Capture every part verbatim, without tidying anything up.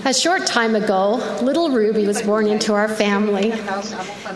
A short time ago, little Ruby was born into our family.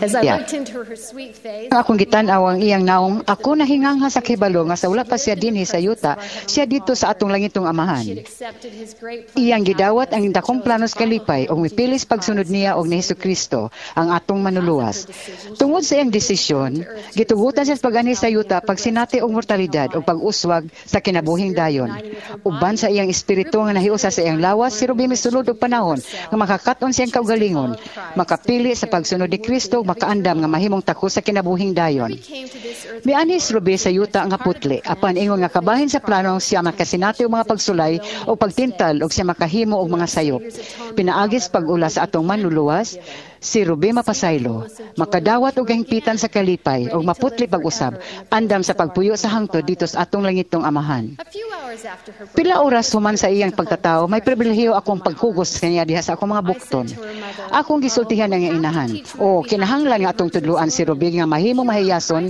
As I Yeah. looked into her sweet face, Ang akong gitan-aw ang iyang naong, ako nahingangha sa kahibalo nga sa wala pa siya dinhi sa yuta, siya didto sa atong langitong Amahan. she had accepted his great plan. Iyang gidawat ang dakong plano sa kalipay ug mipilis pagsunod niya og ni Hesukristo ang atong manluluwas. Tungod sa iyang desisyon, gitugutan siya sa pag-anhi sa yuta pagsinati og mortalidad ug pag-uswag sa kinabuhing dayon. Uban sa iyang espiritu nga nahiusa sa iyang lawas, si Ruby misulod og panahon nga makakat-on siyang kaugalingon, makapili sa pagsunod ni Kristo ug makaandam nga mahimong takos sa kinabuhing dayon. Came to this earth Mianhi si Ruby sa yuta nga putli, apan ingon nga kabahin sa plano siya makasinati og mga pagsulay o pagtintal og siya makahimo og mga sayop. Pinaagi sa pag-ula sa atong manluluwas, si Ruby mapasaylo, makadawat og kahingpitan sa kalipay ug maputli pag-usab, andam sa pagpuyo sa hangtod didto sa atong langitong Amahan. A few hours after her birth, Pila oras human sa iyang pagtatawo, may pribilehiyo akong pagkugos kaniya diha sa akong mga bukton. Akong gisultihan ang iyang inahan. O kinahanglan nga atong tudluan si Ruby nga mahimong mahiyason,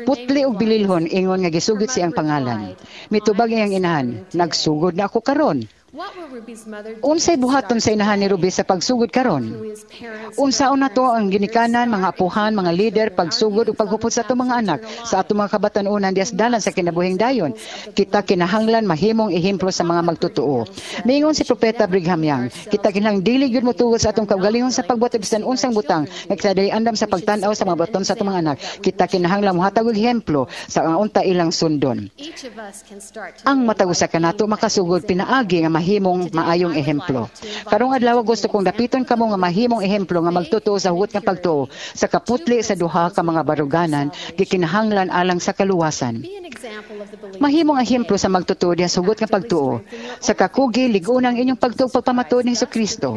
putli og bililhon ingon nga gisugid siyang pangalan. Mitubag iyang inahan, "Nagsugod na ako karon." What will Ruby's mother do? Unsay buhaton sa inahan ni Ruby sa pagsugod karon? We as parents, Unsaon nato ang ginikanan, mga apuhan, mga leader, pagsugod ug paghupot sa atong mga anak, sa atong mga kabatan-unan diha sa dalan sa kinabuhing dayon? Kita kinahanglan mahimong ehemplo sa mga magtotoo. Miingon si Propeta Brigham Young, kita kinahanglan dili gyud motugot sa atong kaugalingon sa pagbuhat og bisan unsang butang nga kita dili andam sa pagtan-aw sa mga buhaton sa atong mga anak. Kita kinahanglan mohatag og ehemplo sa nga unta ilang sundon. Each of us can start to Ang matag usa kanato makasugod pinaagi nga mahimong maayong ehemplo. Karong adlaw, gusto kong dapiton kamo nga mahimong ehemplo nga magtotoo sa hugot nga pagtuo sa kaputli sa duha ka mga baruganan gikinahanglan alang sa kaluwasan. Be an example of the belief. Mahimong ehemplo sa magtotoo diha sa hugot nga pagtuo. Sa kakugi, lig-on ang inyong pagtuo pagpamatuod ni Hesukristo.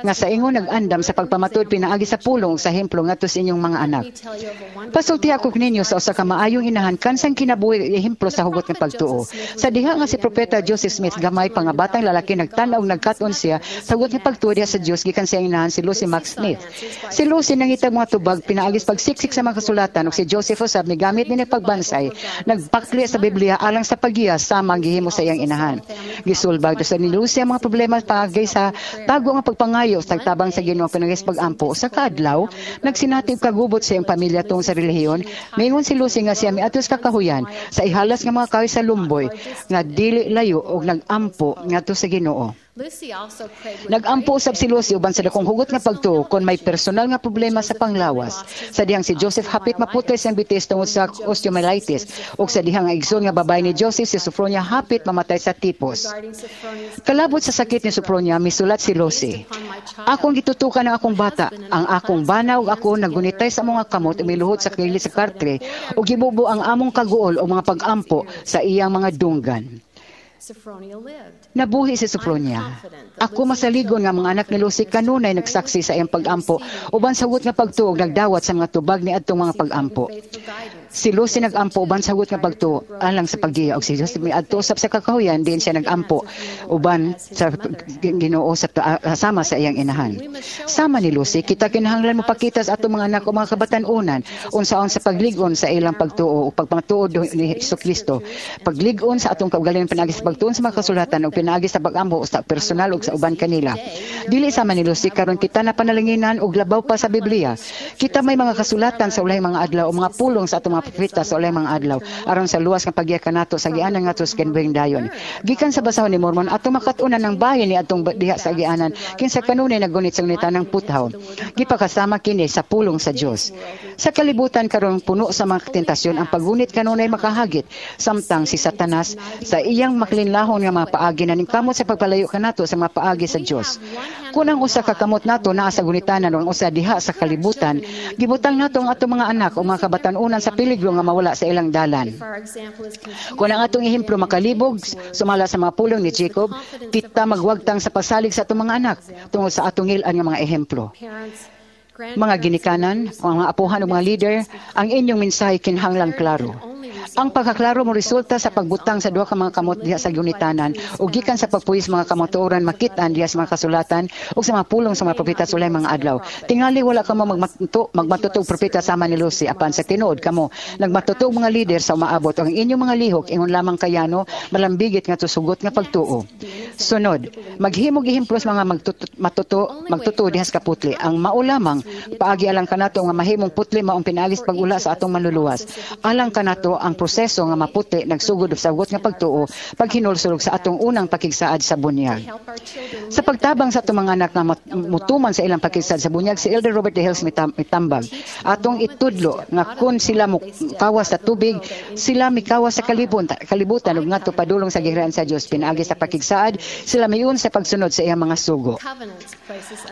Nga sa ingon nag-andam sa pagpamatuod pinaagi sa pulong sa ehemplo ngadto sa inyong mga anak. Let me tell you of a wonderful Pasulti ako ninyo sa usa ka maayong inahan kansang kinabuhi ehemplo sa hugot nga pagtuo. Sa diha nga si Propeta Joseph Smith gamay pa nga batang lalaki, nagtan-aw ug nagkat-on siya sa hugot nga pagtuo diha sa Dios gikan sa iyang inahan, si Lucy Mack Smith. Si Lucy nangitag mga tubag pinaagi sa pagsiksik sa mga kasulatan ug si Joseph usab migamit niini pagbansay, nagpakli sa Biblia alang sa paggiya sama ang gihimo sa iyang inahan. Gisulbag sa ni Lucy ang mga problema paagi sa tago nga pagpangayo sa tabang sa Ginoo pinaagi sa pag-ampo. Sa kaadlaw, nagsinati og kagubot sa iyang pamilya tungod sa relihiyon. Mingon si Lucy nga siya miadto sa kakahuyan sa ihalas nga mga kahoy sa lumboy nga dili layo og nag-ampo ngadto sa Ginoo. Lucy also prayed with Nag-ampo usab si Lucy uban sa dakong hugot nga pagtuo kon may personal nga problema sa panglawas. Sa dihang si Joseph hapit maputol siyang bitis tungod sa osteomyelitis ug sa dihang ang igsoon nga babae ni Joseph, si Sophronia, hapit mamatay sa tipos. Regarding Sophronia's Kalabot sa sakit ni Sophronia, misulat si Lucy: "Akong gitutukan ang akong bata, ang akong bana ug ako naggunitay sa mga kamot, umiluhod sa kilid sa katre ug gibubo ang among kaguol o mga pag-ampo sa iyang mga dunggan." Sophronia lived. Nabuhi si Sophronia. Ako masaligon nga mga anak ni Lucy kanunay nagsaksi sa iyang pag-ampo uban sa hugot nga pagtuo ug nagdawat sa mga tubag ni adtong mga pag-ampo. Faithful guidance. Si Lucy nag-ampo uban sa hugot nga pagtuo alang sa paggiya ug si Joseph miadto usab sa kakahuyan diin siya nag-ampo uban sa Ginoo sa sama sa iyang inahan. Sama ni Lucy, kita kinahanglan mopakita sa atong mga anak o mga kabatan-unan unsaon sa paglig-on sa ilang pagtuo o pagpamatuod ni Hesukristo. Paglig-on sa atong kaugalingon pinaagi sa pagtuon sa mga kasulatan ug pinaagi sa pag-ampo sa personal ug sa uban kanila. Dili sama ni Lucy, karon kita na panalanginan og labaw pa sa Biblia. Kita may mga kasulatan sa ulahing mga adlaw o mga pulong sa atong mga propeta sa ulahing mga adlaw aron sa luwas nga paggiya kanato sa agianan ngadto sa kinabuhing dayon. Gikan sa basahon ni Mormon, atong makat-unan ang bahin ni atong diha sa agianan kinsa kanunay naggunit sa gunitanang puthaw. Gipakasama kini sa pulong sa Dios. Sa kalibutan karon puno sa mga tentasyon, ang paggunit kanunay makahagit samtang si Satanas sa iyang makilinlahon nga mga paagi naningkamot sa pagpalayo kanato sa mga paagi sa Dios. Kung ang usa ka kamot nato naa sa gunitanan o ang usa diha sa kalibutan, gibutang nato ang atong mga anak o mga kabatan-unan sa peligro nga mawala sa ilang dalan. If our example is confused, Kung ang atong ehemplo makalibog sumala sa mga pulong ni Jacob, kita magwagtang sa pagsalig sa atong mga anak tungod sa atong ngil-an nga mga ehemplo. Parents, Mga ginikanan, mga apuhan ug mga leader, ang inyong mensahe kinahanglang klaro. Ang pagkaklaro mo resulta sa pagbutang sa duha ka mga kamot diha sa gunitanan ug gikan sa pagpuwis mga kamatuoran makit-an diha sa mga kasulatan ug sa mga pulong sa mga propeta sa ulahing mga adlaw. Tingali wala kamo magmatuto magmatuto og propeta sama ni Lucy, apan sa tinuod kamo nagmatuto og mga lider sa umaabot, ug ang inyong mga lihok ingon lamang kayano malambigit ngadto sa hugot nga pagtuo. Sunod, maghimog ehemplo sa mga magtuto, matuto magtuto diha sa kaputli. Ang mao lamang paagi alang kanato nga mahimong putli maong pinaagi sa pag-ula sa atong Manluluwas. Alang kanato, ang proseso nga maputli nagsugod sa hugot nga pagtuo paghinulsol sa atong unang pakigsaad sa bunyag. Sa pagtabang sa atong mga anak nga mutuman sa ilang pakigsaad sa bunyag, si Elder Robert D. Hales mitambag, atong itudlo nga kun sila mokawas sa tubig, sila mikawas sa kalibon, kalibutan ug ngadto padulong sa gingharian sa Dios. Pinaagi sa pakigsaad, sila miun sa pagsunod sa iyang mga sugo.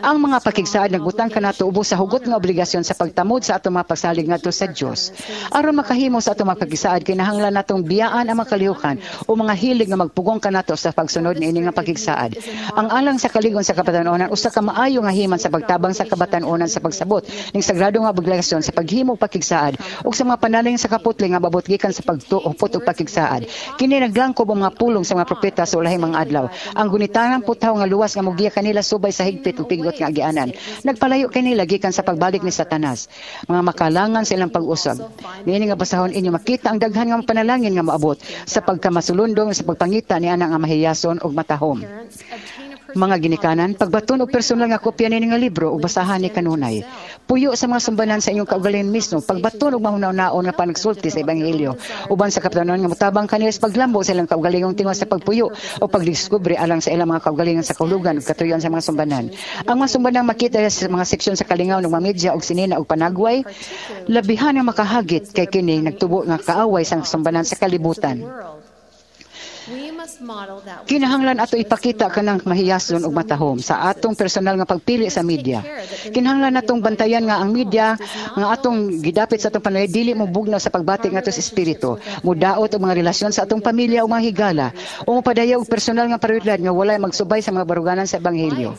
Ang mga pakigsaad nagbutang kanato ubos sa hugot nga obligasyon sa pagtamod sa atong mga pagsalig ngadto sa Dios. Aron makahimo sa atong mga pakigsaad, kinahanglan natong biyaan ang mga kalihukan o mga hilig nga magpugong kanato sa pagsunod niini nga pakigsaad. Ang Alang sa Kalig-on sa Kabatan-onan usa ka maayo nga himan sa pagtabang sa kabatan-onan sa pagsabot ning sagrado nga obligasyon sa paghimo og pakigsaad ug sa mga panalig sa kaputli nga maabot gikan sa pagtuopot og pakigsaad. Kini naglangkob ang mga pulong sa mga propeta sa ulahing mga adlaw. Ang gunitanang puthaw nga luwas nga mogiya kanila subay sa higpit ug pigot nga agianan nagpalayo kanila gikan sa pagbalik ni Satanas. Mga makalangan sa ilang pag-usab. Niini nga basahon, inyo makita ang daghan nga panalangin nga moabot sa pagkamasulundong sa pagpangita ni ana nga mahiyason ug matahom. Mga ginikanan, pagbaton og personal nga kopya niini nga libro ug basahan ni kanunay. Puyo sa mga sumbanan sa inyong kaugalingon mismo, pagbaton og mahuna-hunaon nga panagsulti sa ebanghelyo uban sa kabatan-onan nga motabang kanila sa paglambo sa ilang kaugalingong tinguha sa pagpuyo o pagdiskubre alang sa ilang mga kaugalingon sa kahulugan ug katuyoan sa mga sumbanan. Ang mga sumbanan makita sa mga seksyon sa kalingaw ng mga media ug sinina ug panagway, labihan nga makahagit kay kini nagtubo nga kaaway sa sumbanan sa kalibutan. Kinahanglan ato ipakita kanang mahiyason ug matahom sa atong personal nga pagpili sa media. Kinahanglan natong bantayan nga ang media nga atong gidapit sa atong panulay dili mo bugnaw sa pagbati ngadto sa espiritu, mudaot og mga relasyon sa atong pamilya o mga higala, o mopadaya og personal nga prioridad nga walay magsubay sa mga baruganan sa ebanghelyo.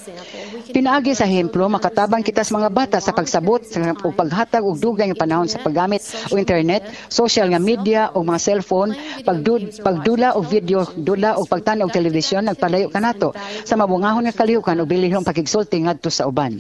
Pinaagi sa ehemplo, makatabang kita sa mga bata sa pagsabot sa ug paghatag og dugay nga panahon sa paggamit og internet, social nga media o mga cellphone, pagdud, pagdula og video, dula og pagtan-aw og telebisyon nagpalayo kanato sa mabungahon nga kalihukan ug bilihong pakigsulti ngadto sa uban.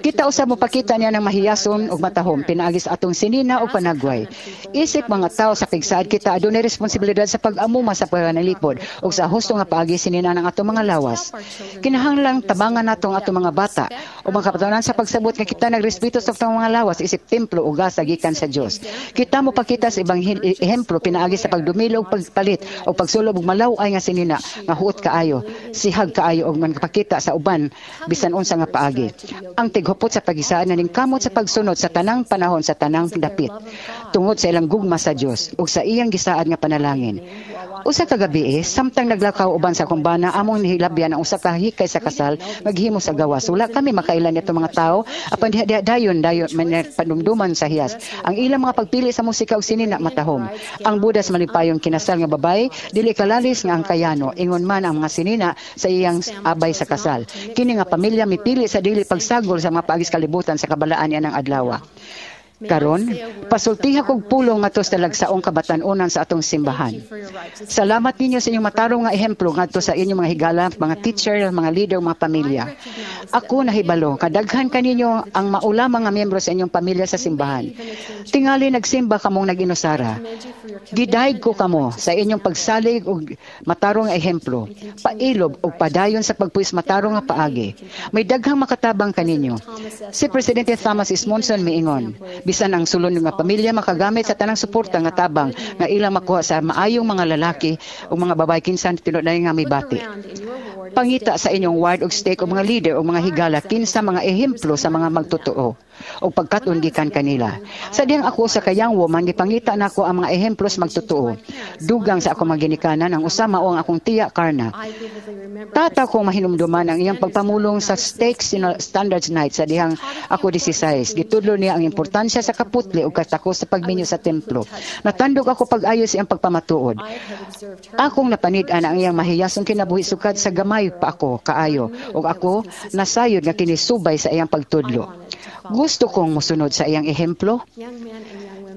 Kita usab mopakita niya ng mahiyason ug matahom pinaagi sa atong sinina o panagway. Isip mga tao sa pigsaad kita, adunay responsibilidad sa pag-amuma sa panalipod ug sa husto nga paagi sinina ng atong mga lawas. Kinahanglang tabangan nato ang atong mga bata o mga kabataonan sa pagsabot nga kita nagrespeto sa atong mga lawas isip templo o gasa gikan sa Dios. Kita mopakita sa ibang ehemplo pinaagi sa pagdumilo og pagpalit o pagsulob og malaw-ay nga sinina nga huot kaayo, sihag kaayo og manpakita sa uban bisan unsa nga paagi. Ang tighupot sa pagisaad naningkamot sa pagsunod sa tanang panahon sa tanang dapit tungod sa ilang gugma sa Dios ug sa iyang gisaad nga panalangin. Usa ka gabi, eh, samtang naglakaw uban sa akong bana, among nihilabyan ang usa ka hikay sa kasal maghimo sa gawas. Wala kami makailan nito mga tao, apan diha diha dayon dayon man panumduman sa hiyas. Ang ilang mga pagpili sa musika ug sinina matahom. Ang bodas malipayong kinasal nga babaye dili kalalis nga ang kayano, ingon man ang mga sinina sa iyang abay sa kasal. Kini nga pamilya mipili sa dili pagsagol sa mga paagis kalibutan sa kabalaan niya ng adlaw. Karon, pasultiha kog pulong ngadto sa talagsaong kabatan-onan sa atong simbahan. Salamat ninyo sa inyong matarong nga ehemplo ngadto sa inyong mga higala, mga teacher, mga leader, mga pamilya. Ako nahibalo, kadaghan kaninyo ang mao lamang nga miyembro sa inyong pamilya sa simbahan. Tingali nagsimba kamong nag-inusara. Gidayeg ko kamo sa inyong pagsalig og matarong nga ehemplo, pailob og padayon sa pagpuwis matarong nga paagi. May daghang makatabang kaninyo. Si Presidente Thomas S. Monson miingon, bisan ang sulod nga pamilya makagamit sa tanang suporta nga tabang nga ilang makuha sa maayong mga lalaki o mga babae kinsa tinud nga mibati. Pangita sa inyong ward og stake o mga leader o mga higala kinsa mga ehemplo sa mga magtotoo o pagkat-on gikan kanila. Sa diyang ako sa ka young woman, gipangita nako ang mga ehemplo sa magtotoo. Dugang sa ako mga ginikanan, ang usa mao ang akong tiya Karna. Tata ko mahinumduman ang iyang pagpamulong sa Stake Standards Night sa dihang ako labing-sais. Gitudlo niya ang importansya sa kaputli ug katako sa pagminyo sa templo. Natandog ako pag-ayo sa iyang pagpamatuod. Akong napanid-an ang iyang mahiyasong kinabuhi sukad sa gamay pa ako kaayo ug ako nasayod nga kini subay sa iyang pagtudlo. Gusto kong musunod sa iyang ehemplo.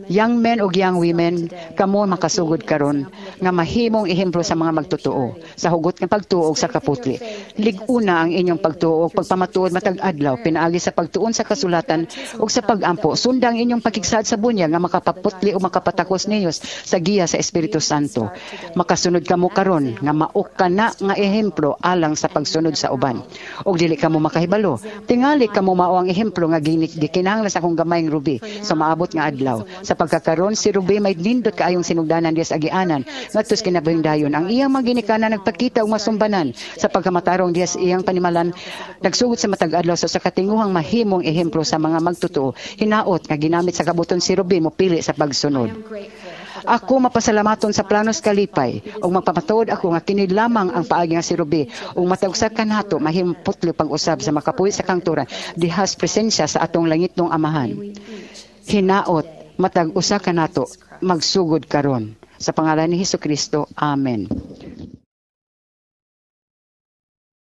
Young men ug young women, kamo makasugod karon nga mahimong ehemplo sa mga magtotoo sa hugot nga pagtuo ug sa kaputli. Lig-una ang inyong pagtuo ug pagpamatuod matag adlaw pinaagi sa pagtuon sa kasulatan ug sa pag-ampo. Sunda ang inyong pakigsaad sa bunyag nga makapaputli o makapatakos ninyo sa giya sa Espiritu Santo. Makasunod kamo karon nga mao kana nga ehemplo alang sa pagsunod sa uban. Ug dili kamo makahibalo. Tingali kamo mao ang ehemplo nga gikinahanglan sa akong gamayng Ruby sa maabot nga adlaw. Sa pagkakaron, si Ruby may nindot kaayong sinugdanan diya sa agianan ngadto sa kinabuhing dayon. Ang iyang mga ginikanan nagpakita og masumbanan sa pagkamatarong diya sa iyang panimalan, nagsugod sa matag adlaw sa sa katinguhang mahimong ehemplo sa mga magtotoo. Hinaot nga ginamit sa kabut-on si Ruby mopili sa pagsunod. Ako mapasalamaton sa planos kalipay ug magpamatuod ako nga kini lamang ang paagi nga si Ruby ug matag usa kanato mahimong putli pag-usab sa makapuyo sa kangturan diha sa presensya sa atong langitnong Amahan. Hinaot matag usa kanato magsugod karon. Sa pangalan ni Hesus Kristo. Amen.